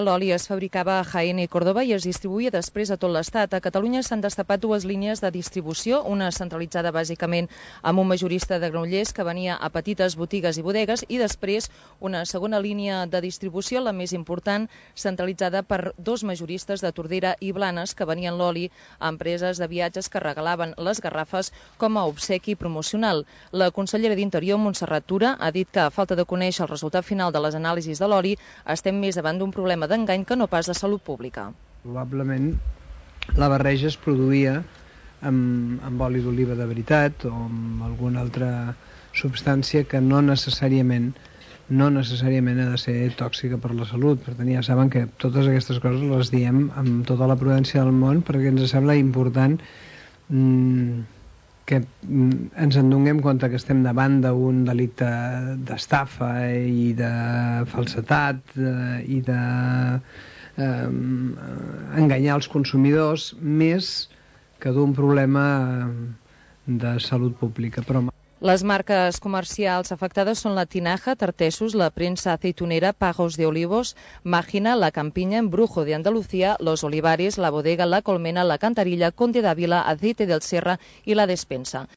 L'oli es fabricava a Jaén i Córdoba i es distribuïa després a tot l'Estat. A Catalunya s'han destapat dues línies de distribució, una centralitzada bàsicament amb un majorista de Granollers que venia a petites botigues i bodegues i després una segona línia de distribució, la més important, centralitzada per dos majoristes de Tordera i Blanes que venien l'oli a empreses de viatges que regalaven les garrafes com a obsequi promocional. La consellera d'Interior, Montserrat Tura, ha dit que a falta de conèixer el resultat final de les anàlisis de l'oli estem més davant d'un problema d'engany que no pas de salut pública. Probablement la barreja es produïa amb oli d'oliva de veritat o amb alguna altra substància que no necessàriament ha de ser tòxica per la salut. Per tant, ja saben que totes aquestes coses les diem amb tota la prudència del món perquè ens sembla important que ens en donem compte que estem davant d'un delicte d'estafa i de falsedat i d'enganyar els consumidors més que d'un problema de salut pública. Però les marques comercials afectades són la Tinaja, Tartesos, la Prensa Aceitunera, Pagos de Olivos, Mágina, La Campiña, Embrujo de Andalucía, Los Olivares, La Bodega, La Colmena, La Cantarilla, Conde d'Ávila, Aceite del Serra i La Despensa.